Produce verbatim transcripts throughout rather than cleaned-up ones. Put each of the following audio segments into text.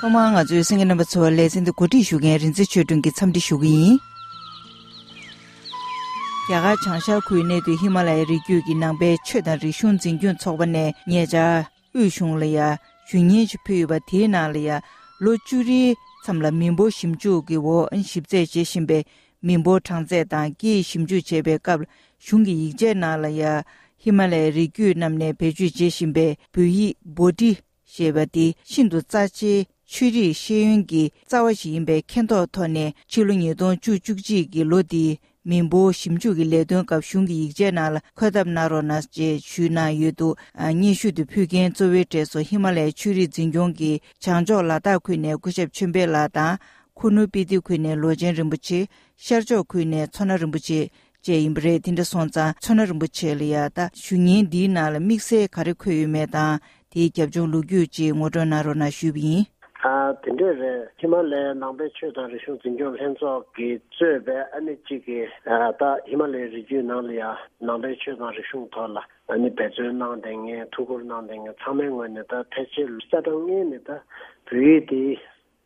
ཐོག་མར་ང་ཚོའི་གསན་མཁན་རྣམ་པ་ཚོར་ལེ་ཚན་འདི་གོ་སྒྲིག་ཞུ་མཁན་རིག་འཛིན་ཆོས་སྒྲོན་གྱིས་འཚམས་འདྲི་ཞུ་གི་ཡིན། རྒྱ་གར་བྱང་ཤར་ཁུལ་གནས་སྡོད་ཧི་མ་ལ་ཡའི་རི་རྒྱུད་ཀྱི་ནང་པའི་ཆོས་དང་རིག་གཞུང་འཛིན་སྐྱོང་ཚོགས་པ་ནས་ཉེ་ཆར་དབུས་གཞུང་ལ་ཡ་ཞུ་སྙན་ཞིག་ཕུལ་ཡོད་པ། དེའི་ནང་ལ་ཡ་ལོ་བཅུ་རེའི་མཚམས་ལ་མི་འབོར་ཞིབ་འཇུག་གི་འོག་ཞིབ་རྩད་བྱེད་བཞིན་པའི་མི་འབོར་གྲངས་ཚད་དང་སྐད་ཡིག་ཞིབ་འཇུག་བྱེད་པའི་སྐབས། གཞུང་གི་ཡིག་ཆའི་ནང་ལ་ཡ་ཧི་མ་ལ་ཡའི་རི་རྒྱུད་རྣམས་ནས་བེད་སྤྱོད་བྱེད་བཞིན་པའི་བོད་ཡིག་བྷོ་ཊི་ཞེས་པ་དེ་ཤིན་ཏུ་རྩ་ཆེའི་ཆོས་རིག་ཤེས་ཡོན་གྱི་རྩ་བ་ཞིག་ཡིན་པའི་མཁྱེན་རྟོགས་ཐོག་ནས། ཕྱི་ལོ་ཉིས་སྟོང་བཅུ་གཅིག་གི་ལོ་འདིའི་མི་འབོར་ཞིབ་འཇུག་གི་ལས་དོན་སྐབས་གཞུང་གི་ཡིག་ཆའི་ནང་ལ་འཁོད་ཐབས་གནང་རོགས་གནང་ཞེས་ཞུས་གནང་ཡོད་འདུག། ཨ། སྙན་ཞུ་དེ་ཕུལ་མཁན་གཙོ་བོའི་གྲས་སུ་ཧི་མ་ལ་ཡའི་ཆོས་རིག་འཛིན་སྐྱོང་གི་བྱང་ཕྱོགས་ལ་དྭགས་ཁུལ་ནས་སྐུ་ཞབས་ཆོས་འཕེལ་ལགས་དང་། ཁུ་ནུ་སྤི་ཏི་ཁུལ་ནས་ལོ་ཆེན་རིན་པོ་ཆེ། ཤར་ཕྱོགས་ཁུལ་ནས་མཚོ་སྣ་རིན་པོ་ཆེ་བཅས་ཡིན་པ་རེད། དེ་འདྲ་སོང་ཙང་མཚོ་སྣ་རིན་པོ་ཆེ་ལ་ཡ་ད་ཞུ་སྙན་འདིའི་ནང་ལ་དམིགས་བསལ་ག་རེ་འཁོད་ཡོད་མེད་དང་། དེའི་རྒྱབ་ལྗོངས་ལོ་རྒྱུས་ཅིག་ངོ་སྤྲོད་གནང་རོགས་གནང་ཞུས་པ་ཡིན། ཨ། དེ་འདྲས་རེད། ཧི་མ་ལ་ཡའི་ནང་པའི་ཆོས་དང་རིག་གཞུང་འཛིན་སྐྱོང་ལྷན་ཚོགས་ཀྱིས་གཙོས་པའི་ཨ་ནི་གཅིག་གི། ཨ། ད་ཧི་མ་ལ་ཡའི་རི་རྒྱུད་ནང་ལ་ཡ་ནང་པའི་ཆོས་དང་རིག་གཞུང་ཐོག་ལ་ཨ་ནི་འབད་བརྩོན་གནང་བསྡད་མཁན། ཐུགས་ཁུར་གནང་བསྡད་མཁན་ཚང་མའི་ངོས་ནས། ད་ཕལ་ཆེར་ས་གྲངས་ལྔ་ནས་ད་བོད་ཡིག་དེ་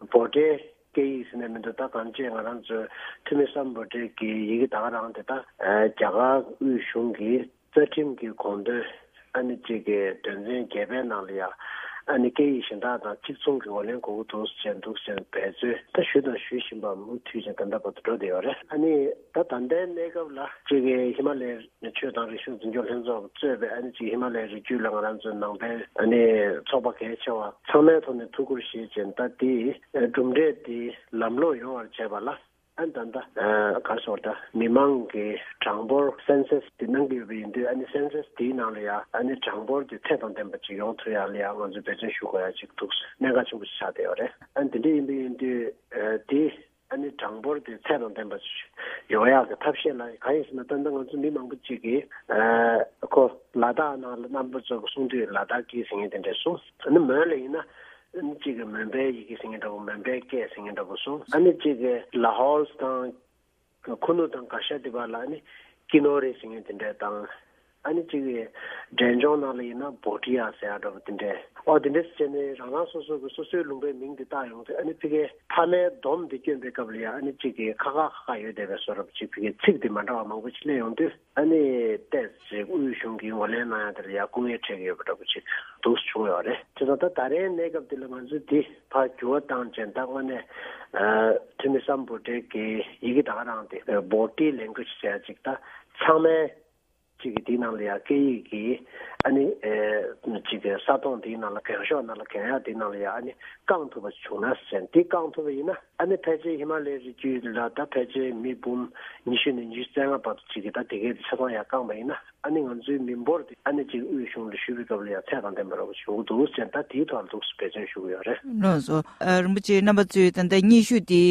བྷོ་ཊའི་སྐད་ཡིག་ཟེར་ནས་མི་འདུག། ད་གང་ཅི་ང་རང་ཚོའི་ཐུ་མི་སམ་བྷོ་ཊའི་གི་ཡི་གེ་ད་ག་རང་དེ། ད་རྒྱ་གར་དབུས་གཞུང་གི་རྩ་ཁྲིམས་ཀྱི་དགོངས་དོན་ཨ་ནི་གཅིག་གི་དོན་ཚན་བརྒྱད་པའི་ནང་ལ་ཡ་ཨ་ནི་སྐད་ཡིག་གཞན་དག་དང་གཅིག་མཚུངས་ཀྱི་ངོས་ལེན་དགོས་ཀྱི་འདུག་ཟེར་འདུག་ཟེར་འབད་བརྩོན་ད་ཞུས་དང་ཞུ་བཞིན་པ་མུ་མཐུད་ཅིག་ད་ལྟ་བར་དུ་འགྲོ་བསྡད་ཡོད་རེད། ཨ་ནི་ད་ད་ལྟའི་གནས་སྐབས་ལ་གཅིག་གི་ཧི་མ་ལ་ཡའི་ཆོས་དང་རིག་གཞུང་འཛིན་སྐྱོང་ལྷན་ཚོགས་གཙོས་པའི་ཨ་ནི་གཅིག་ཧི་མ་ལ་ཡའི་རི་རྒྱུད་ལ་ང་རང་ཚོའི་ནང་པའི་ཨ་ནི་ཚོགས་པ་གལ་ཆེ་བ་ཚང་མའི་ཐོག་ནས་ཐུགས་ཁུར་བཞེས་བྱས། ད་དེའི་གྲུབ་འབྲས་དེ་ལམ་ལྷོང་ཡོང་བར་བྱས་པ་ལ། ཨ་ནི་ད་ལྟ་ག་རེ་ཟེར་ད། མི་མང་གི་གྲངས་འབོར་སེན་སས་དེ་གནང་གི་ཡོད་པ་ཡིན་དུས། ཨ་ནི་སེན་སས་དེའི་ནང་ལ་ཡ་ཨ་ནི་གྲངས་འབོར་དེ་ཚད་དང་ལྡན་པ་ཅིག་ཡོང་ཐུབ་ཡ་ལ་ཡ་ང་ཚོས་འབད་བརྩོན་ཞུ་དགོས་ཡ་ཅིག་འདུག། གནད་འགག་ཆེན་པོ་ཅིག་ཆགས་བསྡད་ཡོད་རེད། ཨ་ནི་དེ་འདྲ་ཡིན་པ་ཡིན་དུས། ཨ། དེ་ཨ་ནི་གྲངས་འབོར་དེ་ཚད་དང་ལྡན་པ་ཞིག་ཡོང་ཡག་གི་ཐབས་ཤེས་ལ་གང་ཡིན་ཟེར་ན། ད་ལྟ་ང་ཚོ་མི་མང་པོ་ཅིག་གིས། ཨ། ཁོ་ལ་དྭགས་ནང་ལ་རྣམ་པ་ཚོ་གིས་གསུང་དུས་ལ་དྭགས་སྐད་ཟེར་མཁན་དེ་འདྲས་གསུང་། ཨ་ནི་མོན་ལ་ཡིན་ན་ཨ་ནི་གཅིག་གིས་མོན་པའི་ཡི་གེ་ཟེར་མཁན་འདྲ་པོ། མོན་པའི་སྐད་ཟེར་མཁན་འདྲ་པོ་གསུང་། ཨ་ནི་གཅིག་གིས་ལ་ཧོལ་དང་ཁུ་ནུ་དང་གར་ཤ་དེ་བར་ལ་ཨ་ནི་ཀི་ནོ་རེ་ཟེར་མཁན་དེ་འདྲས་དང་། ཨ་ནི་གཅིག་གི་འབྲས་ལྗོངས་ནང་ལ་ཡིན་ན་བྷོ་ཊི་ཡ་ཟེར་ཡ་འདྲ་པོ་དེ་འདྲས། ཨོ། དེ་འདྲས་བྱས་ནས་རང་རང་སོ་སོ་གི་སོ་སོའི་ལུང་པའི་མིང་དེ་བཏགས་ཡོང་དུས། ཨ་ནི་ཕ་གིའི་ཕ་མའི་སྡོམ་དེ་སྐྱོན་པའི་སྐབས་ལ་ཡ་ཨ་ནི་གཅིག་གི་ཁ་ཁ་ཁ་ཁ་ཡོད་བསྡད་པའི་བཟོ་འདྲ་པོ་ཅིག། ཕ་གིའི་ཚིག་དེ་མ་འདྲ་བ་མང་པོ་ཞིག་སླེབས་ཡོང་དུས། ཨ་ནི་ཏོག་ཙམ་དབུས་གཞུང་གིས་ངོས་ལེན་གནང་ཡ་དེ་ལ་ཡ་སྐུ་ངལ་འཕྲད་ཀྱི་ཡོད་པ་འདྲ་པོ་ཅིག་འདུག་བྱུང་ཡོད་རེད། བྱས་ཙང་ད་ད་རེས་གནས་སྐབས་འདི་ལ་ང་ཚོས་འདི་ཕར་འགྱུར་བ་བཏང་བྱས། ད་དངོས་གནས། ཨ། ཐུ་མི་སམ་བྷོ་ཊའི་གི་ཡི་གེ་ད་ག་རང་དེ་བྷོ་ཊི་ལེང་གུ་ཨེཇ་ཟེར་ཡ་ཅིག། ད་ཚང་མའི་གཅིག་གི་དེའི་ནང་ལ་ཡ་སྐད་ཡིག་གི་ཨ་ནི། ཨེ། གཅིག་གི་ས་སྟོང་དེའི་ནང་ལ། སྒང་ཤོག་ནང་ལ། སྒང་ཡ་དེའི་ནང་ལ་ཡ་ཨ་ནི་བསྐང་ཐུབ་པ་བྱུང་ན་ཟེར། དེ་བསྐང་ཐུབ་པ་ཡིན་ན། ཨ་ནི་ཕལ་ཆེར་ཧི་མ་ལ་ཡའི་རི་རྒྱུད་ལ་ད་ཕལ་ཆེར་མི་འབུམ་ཉི་ཤུ་ནས་ཉི་ཤུ་རྩ་ལྔ་བར་དུ་ཅིག་གིས་ད་དེ་གའི་ཆ་ཚང་ཡར་བསྐངས་པ་ཡིན་ན། ཨ་ནི་ང་ཚོའི་མི་འབོར་དེ་ཨ་ནི་ཅིག་དབུས་གཞུང་ལ་ཞུ་བའི་སྐབས་ལ་ཡང་ཚད་དང་ལྡན་པ་རེད་ཞུ་གི་འདུག་ཟེར། ད་དེའི་ཐོག་ལ་འདུག་སེ་འབད་བརྩོན་ཞུ་གི་ཡོད་རེད། ལགས་སོ། ཨ། རིན་པོ་ཆེ་རྣམ་པ་ཚོས་ད་ལྟ་སྙན་ཞུ་དེ་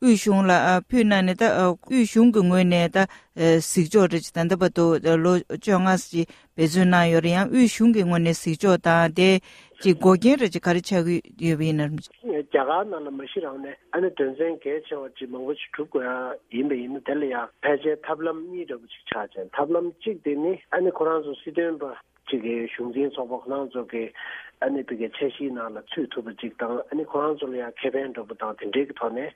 དབུས་གཞུང་ལ། ཨ། ཕུལ་གནང་ནས། ད། ཨ། དབུས་གཞུང་གི་ངོས་ནས་ད། ཨ། གཟིགས་ཕྱོགས་རེ་ཅིག་ད་ལྟ་བར་དུ་ལོ་བཅོ་ལྔ་ཅིག་འབད་བརྩོན་གནང་ཡོད་རེད། ཡང་དབུས་གཞུང་གི་ངོས་ནས་གཟིགས་ཕྱོགས་དང་དེ་ཅིག་འགོག་རྐྱེན་རེ་ཅིག་ག་རེ་ཆགས་ཀྱི་ཡོད་པ་ཡིན་ན། རྒྱ་གར་ནང་ལ་མ་གཞི་རང་ནས་ཨ་ནི་དོན་ཚན་གལ་ཆེ་བ་ཅིག་མང་པོ་ཞིག་སྒྲུབ་དགོས་ཡ་ཡིན་པ་ཡིན་ན། དེ་ལ་ཡང་ཕལ་ཆེར་ཐབས་ལམ་གཉིས་འདྲ་པོ་ཅིག་ཆགས་བྱས། ཐབས་ལམ་གཅིག་དེ་ནི་ཨ་ནི་ཁོ་རང་ཚོ་སྲིད་དོན་པ་གཅིག་གི་གཞུང་འཛིན་ཚོགས་པ་ཁོ་རང་ཚོ་གི་ཨ་ནི་ཕ་གིའི་འཆར་གཞིའི་ནང་ལ་ཚུད་ཐུབ་པ་ཅིག་དང་། ཨ་ནི་ཁོ་རང་ཚོ་ལ་ཡང་ཁེ་ཕན་འདྲ་པོ་དང་དེ་འདྲའི་གི་ཐོག་ནས་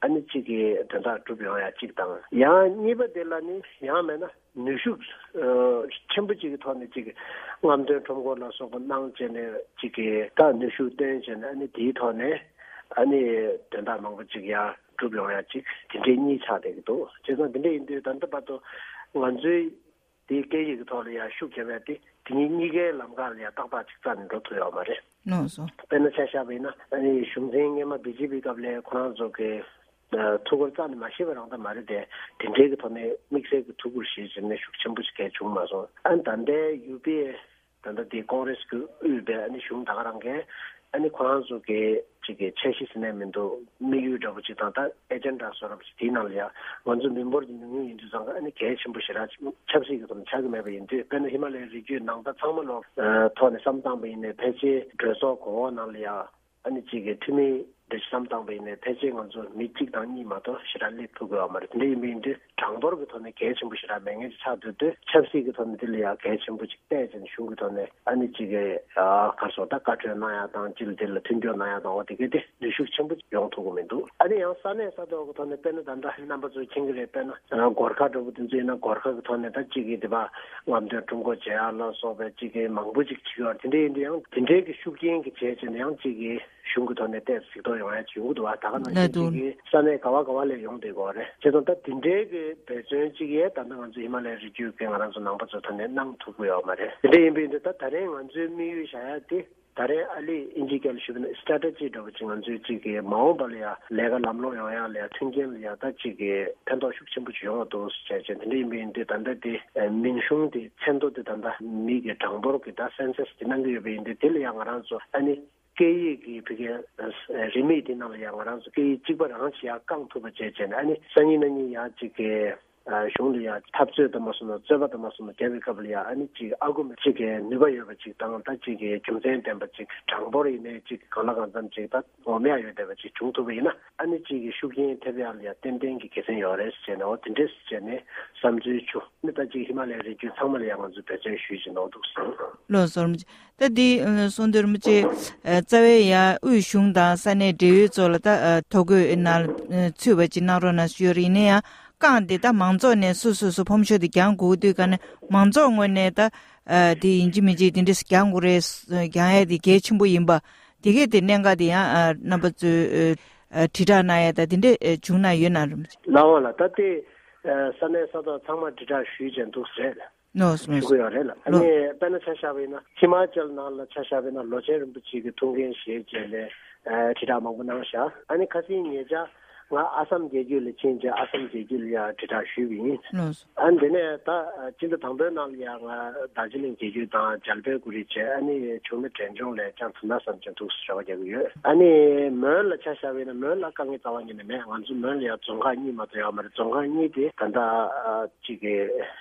ཨ་ནི་གཅིག་གི་དོན་དག་སྒྲུབ་ཡོང་ཡ་གཅིག་དང་། ཡང་གཉིས་པ་དེ་ལ་ནི་ཡང་མེད་ན་ནུས་ཤུགས་ཆེན་པོ་ཅིག་གི་ཐོག་ནས་གཅིག་གི་རྔམ་སྟོན་ཁྲོམ་སྐོར་ལ་སོགས་པ་གནང་བྱས་ནས། གཅིག་གི་ད་ནུས་ཤུགས་བཏོན་བྱས་ནས་ཨ་ནི་དེའི་ཐོག་ནས་ཨ་ནི་དོན་དག་མང་པོ་ཅིག་ཡང་སྒྲུབ་ཡོང་ཡ་གཅིག་དེ་འདྲའི་གཉིས་ཆགས་བསྡད་ཀྱི་འདུག། བྱས་ཙང་དེ་འདྲ་ཡིན་དུས་ད་ལྟ་བར་དུ་ང་ཚོའི་དེའི་སྐད་ཡིག་གི་ཐོག་ལ་ཡང་ཤུགས་རྒྱབ་ཡ་དེ་དེ་གཉིས་གཉིས་ཀའི་ལམ་ཁ་ལ་ཡང་ཏག་ཏག་ཅིག་རྩ་ནས་འགྲོ་ཐུབ་ཡོད་མ་རེད། ལགས་སོ། དཔེར་ན་ཆ་བཞག་པ་ཡིན་ན། ཨ་ནི་གཞུང་འཛིན་སྔོན་མ་བི་ཇེ་པི་སྐབས་ལ་ཁོ་རང་ཚོ་གི་ཨ་ཐུགས་ཁུར་རྩ་ནས་མ་བཞེས་པ་རང་ད་མ་རེད་དེ། དེ་འདྲའི་གི་ཐོག་ནས་དམིགས་བསལ་གྱི་ཐུགས་ཁུར་བཞེས་བྱས་ནས་ཤུགས་ཆེན་པོ་ཞིག་གང་བྱུང་མ་སོང་། ཨ་ནི་ད་ལྟའི་ཡུ་པི་ཨེ། ད་ལྟ་དེ་ཀོང་རེས་ཀྱིས་དབུས་པའི་ཨ་ནི་གཞུང་ད་ག་རང་གིས་ཨ་ནི་ཁོ་རང་ཚོ་གི་གཅིག་གི་འཆར་གཞི་ཟེར་ནས་མི་འདུག། དམིགས་ཡུལ་འདྲ་པོ་ཅིག་དང་། ད་ཨེ་ཇེན་ཌ་བཟོ་འདྲ་པོ་ཅིག་དེའི་ནང་ལ་ཡང་ང་ཚོ་མི་འབོར་དེ་ཉུང་ཉུང་ཡིན་དུས་ཙང་ཨ་ནི་གལ་ཆེན་པོ་ཞེ་དྲག་ཅིག་ཆབ་སྲིད་ཀྱི་ཐོག་ནས་ཆགས་ཀྱི་མེད་པ་ཡིན་དུས། དཔེར་ན་ཧི་མ་ལ་ཡའི་རི་རྒྱུད་ནང་ད་ཚང་མ་ལོག་ཨ་ཐོག་ནས་བསམ་བཏང་པ་ཡིན་ནའི་ཕལ་ཆེར་གྲོས་ཚོགས་གོང་འོག་ནང་ལ་ཡང་ཨ་ནི་གཅིག་གི་འཐུས་མི་ འདི་བསམ་བཏང་བ་ཡིན་ནའི་ཕལ་ཆེར་ང་ཚོ་མི་གཅིག་དང་གཉིས་མ་གཏོགས་ཞེ་དྲག་སླེབས་ཐུབ་ཀྱི་ཡོད་མ་རེད། དེ་འདྲ་ཡིན་པ་ཡིན་དུས་གྲངས་འབོར་གྱི་ཐོག་ནས་གལ་ཆེན་པོ་ཞེ་དྲག་མེད་མཁན་ཅིག་ཆགས་སྡོད་དུས། ཆབ་སྲིད་ཀྱི་ཐོག་ནས་དེ་ལ་ཡང་གལ་ཆེན་པོ་ཅིག་བལྟས་བྱས་ནས་གཞུང་གི་ཐོག་ནས་ཨ་ནི་གཅིག་གི་ཨ་ག་རེ་ཟེར་ད་བཀའ་འཁྲོལ་གནང་ཡ་དང་། སྤྱི་ལ་དེ་ལ་མཐུན་འགྱུར་གནང་ཡ་དང་། འོ་དེ་གའི་དེ་ནུས་ཤུགས་ཆེན་པོ་ཡོང་ཐུབ་ཀྱི་མི་འདུག་ཨ་ནི་ཡང་ས་གནས་ས་ཐོག་གི་ཐོག་ནས་དཔེར་ན་ད་ལྟ་རྣམ་པ་ཚོས་མཁྱེན་གྱི་རེད། དཔེར་ན་སྒོར་ཁ་འདྲ་པོ་དེ་ཚོ་ཡིན་ན་སྒོར་ཁ་གི་ཐོག་ནས་ད་གཅིག་གི་དེ་བ་རྔམ་སྟོན་ཀྲུང་གོ་མཇལ་ཡ་ལ་སོགས་པའི་གཅིག་གི་མང་པོ་ཅིག་བྱེད་ཀྱི་ཡོད་རེད། དེ་འདྲ་ཡིན་དུས་ཡང་དེ་འདྲའི་གི་ཤུགས་རྐྱེན་གྱི་བྱས་བྱས་ནས་ཡང་གཅིག་གི་གཞུང་གི་ཐོག་ནས་ཏོག་ཙམ་གཟིགས་རྟོག་ཡོང་ཡ་བྱུང་གི་འདུག་བ། ད་ག་ནང་བཞིན་ལ་དུ་གཅིག་གི་ས་གནས་ག་བ་ག་བ་ལས་ཡོང་བསྡད་ཀྱི་ཡོད་རེད། བྱས་ཙང་ད་དེ་འདྲའི་གི་འབད་བརྩོན་གཅིག་ཡས་ད་ལྟ་ང་ཚོ་ཧི་མ་ལ་ཡའི་རི་རྒྱུད་ཀྱི་ང་རང་ཚོ་ནང་པ་ཚོའི་ཐོག་ནས་གནང་ཐུབ་ཀྱི་ཡོད་མ་རེད། དེ་འདྲ་ཡིན་པ་ཡིན་དུས་ད་ད་རེས་ང་ཚོའི་དམིགས་ཡུལ་བཞག་ཡ་དེ། ད་རེས་ཨ་ལི་ཨིན་ཇིའི་སྐད་ལ་ཞུས་པ་ན་སི་ཊེ་རེ་ཊི་ཇི་འདྲ་པོ་ཅིག་ང་ཚོའི་གཅིག་གི་མ་འོངས་པ་ལ་ཡ་ལས་ཀ་ལམ་ལྷོང་ཡོང་ཡ་ལ་ཡ་མཐུན་རྐྱེན་ལ་ཡ་ད་གཅིག་གི་ཕན་ཐོགས་ཤུགས་ཆེན་པོ་ཅིག་ཡོང་བ་འདུག་ཟེར་བྱས་བྱས། དེ་འདྲ་ཡིན་པ་ཡིན་དུས་ད་ལྟ་དེ་མིང་གཞུང་དེ་མཚན་ཐོ་དེ་ད་ལྟ་མི་གི་གྲངས་འབོར་གི་ད་སེན་སས་དེ་གནང་གི་ཡོད་པ་ཡིན་དུས། དེ་ལ་ཡ་ང་རང་ཚོ་ཨ་ནི་སྐད་ཡིག་གི་ཕ་གི་རིན་མེད་དེ་ནང་ལ་ཡ་ང་རང་ཚོ་སྐད་ཡིག་གཅིག་པ་རང་ཞིག་ཡ་བསྐང་ཐུབ་པ་བྱས་བྱས་ནས། ཨ་ནི་སང་ཉིན་གནངས་ཉིན་ཡ་གཅིག་གི་གཞུང་ལ་ཡ་འཐབ་རྩོད་དང་མ་སོང་ན་རྩོད་པ་དང་མ་སོང་ན་རྒྱབ་པའི་སྐབས་ལ་ཡ་ཨ་ནི་གཅིག་ཨ་ཁུ་མ་གཅིག་གི་ནུས་པ་ཡོད་པ་ཅིག་དང་། ད་གཅིག་གི་རྒྱུ་མཚན་ལྡན་པ་ཅིག་གྲངས་འབོར་ཡིན་ནའི་གཅིག་གང་ལ་གང་འཚམ་ཅིག་ད་འོ་མ་ཡ་ཡོད་བསྡད་པ་ཅིག་བྱུང་ཐུབ་པ་ཡིན་ན། ཨ་ནི་གཅིག་གི་ཤུགས་རྐྱེན་ཐེབས་ཡ་ལ་ཡ་ཏན་ཏན་གྱི་དགེ་མཚན་ཡོད་རེད་ཟེར་བྱས་ནས། འོ་དེ་འདྲས་ཟེར་བྱས་ནས་བསམ་ཚུལ་བྱུང་། ཨ་ནི་ད་གཅིག་ཧི་མ་ལ་ཡའི་རི་རྒྱུད་ཚང་མ་ལ་ཡ་ང་ཚོས་འབད་བརྩོན་ཞུས་བྱས་ནས་འོ་འདུག་སོང་། ལགས་སོ། ད་འདི་གསུང་དོན་རིན་པོ་ཆེ་རྩ་བའི་ཡ་དབུས་གཞུང་དང་ས་གནས་འབྲེལ་ཡོད་ཚོ་ལ་ད་ཐོ་འགོད་ནང་ཚུད་པ་ཅིག་གནང་རོགས་གནང་ཞུ་ཡ་རེད། ཡིན་ན་ཡང་རྐང་འདི་ད་མང་ཚོགས་ནས་སོ་སོ་སོ་ཕོམ་ཤོག་འདི་རྒྱག་དགོས་དུས་ག་ནས་མང་ཚོགས་ངོས་ནས་ད་འདི་ཡིན་གཅིག་མིན་གཅིག་འདི་འདྲས་རྒྱག་དགོས་རེད། རྒྱག་ཡ་འདི་གལ་ཆེན་པོ་ཡིན་པ་འདི་གས་དེ་གནད་འགག་འདི་ཡང་རྣམ་པ་ཚོས་དྲིལ་བསྒྲགས་གནང་ཡ་ད་འདི་འདྲས་བྱུང་ན་ཡོད་ན་རིན་པོ་ཆེ། ལགས་འོང་ལགས། ད་དེ་ས་གནས་ས་ཐོག་ཚང་མ་དྲིལ་བསྒྲགས་ཞུས་བྱས་འདུག་ཟེར། ནོ་སོ་ཞུ་གི་ཡོད་རེད་ལ། ཨ་ལོ། ནི་དཔེར་ན་ཆ་བཞག་པ་ཡིན་ན་ཧི་མ་ཅལ་ནང་ལ་ཆ་བཞག་པ་ཡིན་ན་ལོ་ཆེན་རིན་པོ་ཆེ་གི་ཐུགས་འགན་བཞེས་བྱས་ནས་ཨ་དྲིལ་བསྒྲགས་མང་པོ་གནང་བཞག་ཨ་ནི་ཁ་སང་ཉེ་ཆར་ང་ཨ་སམ་རྒྱལ་རྒྱུད་ལ་ཕྱིན་བྱས་ཨ་སམ་རྒྱལ་རྒྱུད་ལ་ཡང་དྲིལ་བསྒྲགས་ཞུས་པ་ཡིན། ནོ་སོ། ཨ་ནི་དེ་ནས་ད་སྤྱི་ཟླ་དང་པོའི་ནང་ལ་ཡང་ང་རྡོ་རྗེ་གླིང་རྒྱལ་རྒྱུད་དང་ཇལ་པའི་གུ་རི་བྱས། ཨ་ནི་བྱུང་ན་འབྲས་ལྗོངས་ལ་ཡང་བསྐྱངས་ཐུབ་ན་བསམ་བྱས་འདུག་ཟེར་རེ་བ་རྒྱག་གི་ཡོད། ཨ་ནི་མོན་ལ་ཆ་བཞག་པ་ཡིན་ན་མོན་ལ་དཀའ་ངལ་རྩ་བ་ཉིད་ནས་མེད། ང་ཚོ་མོན་ལ་ཡང་རྫོང་ཁག་གཉིས་མ་གཏོགས་ཡོད་མ་རེད། རྫོང་ཁག་གཉིས་དེ་ད་ལྟ་གཅིག་གི་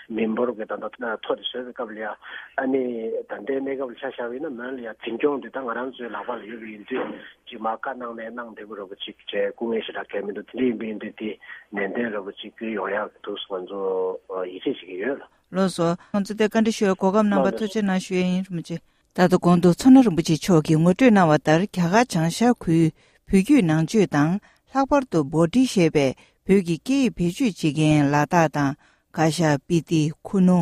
མི་འབོར་གྱི་ད་ལྟ་མཐོ་དེ་བཟོས་པའི་སྐབས་ལ་ཡ། ཨ་ནི་ད་ལྟའི་གནས་སྐབས་ལ་ཆ་བཞག་པ་ཡིན་ན་མོན་ལ་ཡ་འཛིན་སྐྱོང་དེ་ད་ང་རང་ཚོའི་ལག་པ་ལ་ཡོད་པ་ཡིན་དུས་གཅིག་མ་བཀའ་གནང་ནས་གནང་བསྡད་དགོས་རེད་པ་ཅིག་བྱས་སྐུ་ངལ་ཞེ་དྲག་གང་ཡང་མི་འདུག་དེ་འདྲ་ཡིན་པ་ཡིན་དུས་དེ་ནན་ཏན་རེད་པ་ཅིག་ཡོང་ཡག་འདུག་ང་ཚོ་ཡིད་ཆེས་བྱེད་ཀྱི་ཡོད་ལ། ལགས་སོ། ང་ཚོ་དེ་བཀའ་འདྲི་ཞུ་བའི་གོ་སྐབས་གནང་བར་ཐུགས་རྗེ་གནང་ཞུ་ཡ་ཡིན། རིན་པོ་ཆེ། ད་ལྟ་གོང་དུ་མཚོ་སྣ་རིན་པོ་ཆེ་མཆོག་གིས་ངོ་སྤྲོད་གནང་བ་ལྟར། རྒྱ་གར་བྱང་ཤར་ཁུལ་བོད་བརྒྱུད་ནང་ཆོས་དང་། ལྷག་པར་དུ་བྷོ་ཊི་ཞེས་པའི་བོད་ཀྱི་སྐད་ཡིག་བེད་སྤྱོད་བྱེད་མཁན་ལ་དྭགས་དང་། གྷ་ཤ། སྤི་ཏི། ཁུ་ནུ།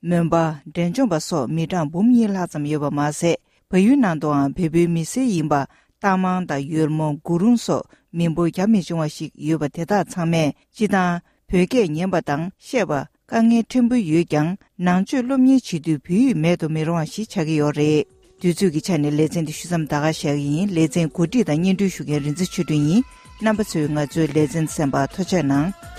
མོན་པ། འབྲས་ལྗོངས་པ་སོགས་མི་གྲངས་འབུམ་གཉིས་ལྷག་ཙམ་ཡོད་པ་མ་ཟད། བལ་ཡུལ་ནང་དུའང་བལ་པོའི་མི་སེར་ཡིན་པ་རྟ་མང་དང་ཡོལ་མོ། གུ་རུང་སོགས་མི་འབོར་བརྒྱ་མི་ཆུང་བ་ཞིག་ཡོད་པ། དེ་དག་ཚང་མས་སྤྱིར་བཏང་བོད་སྐད་ཉན་པ་དང་བཤད་པ་དཀའ་ངལ་ཕྲན་བུ་ཡོད་ཀྱང་། ནང་ཆོས་སློབ་གཉེར་བྱེད་དུས་བོད་ཡིག་མེད་དུ་མི་རུང་བ་ཞིག་ཆགས་ཀྱི་ཡོད་རེད། དུས་ཚོད་ཀྱི་ཆ་ནས་ལེ་ཚན་འདི་ཞུ་མཚམས་ད་ག་བཞག་གི་ཡིན། ལེ་ཚན་གོ་སྒྲིག་དང་སྙན་སྒྲོན་ཞུ་མཁན་རིག་འཛིན་ཆོས་སྒྲོན་ཡིན། རྣམ་པ་ཚོས་ང་ཚོའི་ལེ་ཚན་གསན་པར་ཐུགས་རྗེ་གནང་།